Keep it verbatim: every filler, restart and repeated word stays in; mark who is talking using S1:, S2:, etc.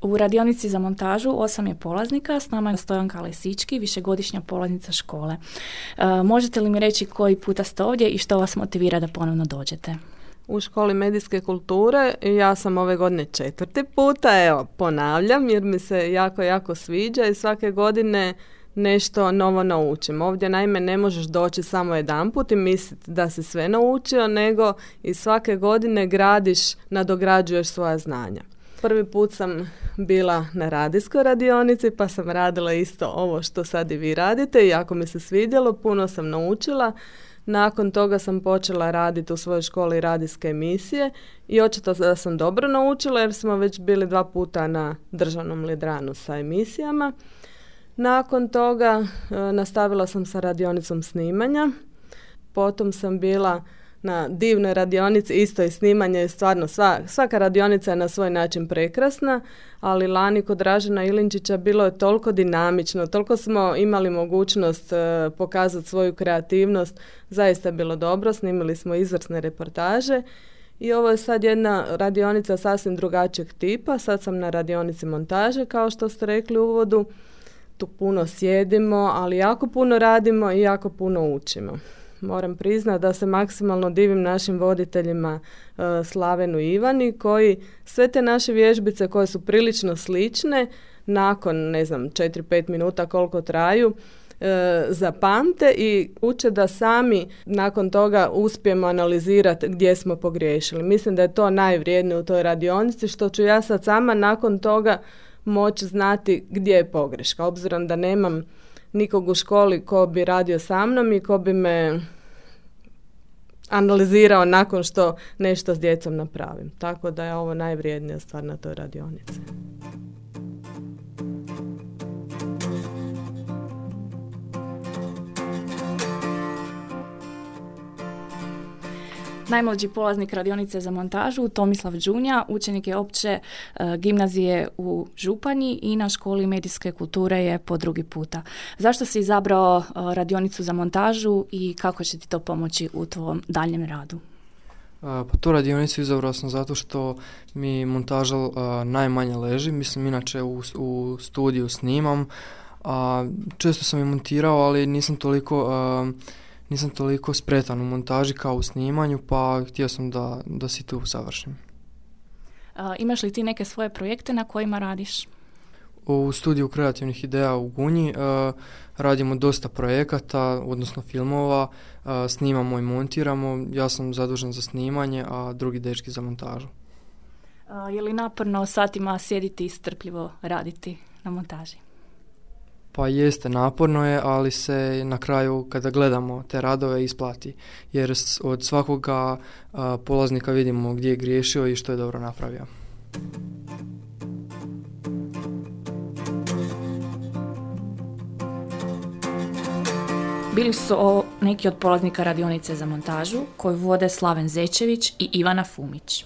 S1: U radionici za montažu osam je polaznika, s nama je Stojanka Lesički, višegodišnja polaznica škole. E, možete li mi reći koji puta ste ovdje i što vas motivira da ponovno dođete?
S2: U školi medijske kulture ja sam ove godine četvrti puta, evo ponavljam jer mi se jako, jako sviđa i svake godine nešto novo naučim. Ovdje naime ne možeš doći samo jedanput i misliti da si sve naučio, nego i svake godine gradiš, nadograđuješ svoja znanja. Prvi put sam bila na radijskoj radionici pa sam radila isto ovo što sad i vi radite i jako mi se svidjelo, puno sam naučila. Nakon toga sam počela raditi u svojoj školi radijske emisije i očito da sam dobro naučila jer smo već bili dva puta na državnom Lidranu sa emisijama. Nakon toga e, nastavila sam sa radionicom snimanja, potom sam bila na divnoj radionici, isto i snimanje je stvarno, sva, svaka radionica je na svoj način prekrasna, ali lani kod Dražena Ilinčića bilo je toliko dinamično, toliko smo imali mogućnost e, pokazati svoju kreativnost, zaista je bilo dobro, snimili smo izvrsne reportaže i ovo je sad jedna radionica sasvim drugačijeg tipa, sad sam na radionici montaže kao što ste rekli u uvodu, tu puno sjedimo, ali jako puno radimo i jako puno učimo. Moram priznati da se maksimalno divim našim voditeljima e, Slavenu i Ivani koji sve te naše vježbice koje su prilično slične nakon ne znam četiri pet minuta koliko traju e, zapamte i uče da sami nakon toga uspijemo analizirati gdje smo pogriješili. Mislim da je to najvrijednije u toj radionici što ću ja sad sama nakon toga moći znati gdje je pogreška. Obzirom da nemam nikog u školi ko bi radio sa mnom i ko bi me analizirao nakon što nešto s djecom napravim. Tako da je ovo najvrijednija stvar na toj radionici.
S1: Najmlađi polaznik radionice za montažu, Tomislav Đunja, učenik je opće e, gimnazije u Županji i na školi medijske kulture je po drugi puta. Zašto si izabrao e, radionicu za montažu i kako će ti to pomoći u tvom daljem radu?
S3: A, pa tu radionicu izabrao sam zato što mi montaža a, najmanje leži. Mislim, inače u, u studiju snimam. A, često sam je montirao, ali nisam toliko... A, Nisam toliko spretan u montaži kao u snimanju, pa htio sam da, da si tu završim.
S1: A, imaš li ti neke svoje projekte na kojima radiš?
S3: U studiju kreativnih ideja u Gunji uh, radimo dosta projekata, odnosno filmova, uh, snimamo i montiramo. Ja sam zadužen za snimanje, a drugi dečki za montažu.
S1: A, je li naporno satima sjediti i strpljivo raditi na montaži?
S3: Pa jeste, naporno je, ali se na kraju kada gledamo te radove isplati. Jer od svakoga a, polaznika vidimo gdje je griješio i što je dobro napravio.
S1: Bili su o neki od polaznika radionice za montažu koju vode Slaven Zečević i Ivana Fumić.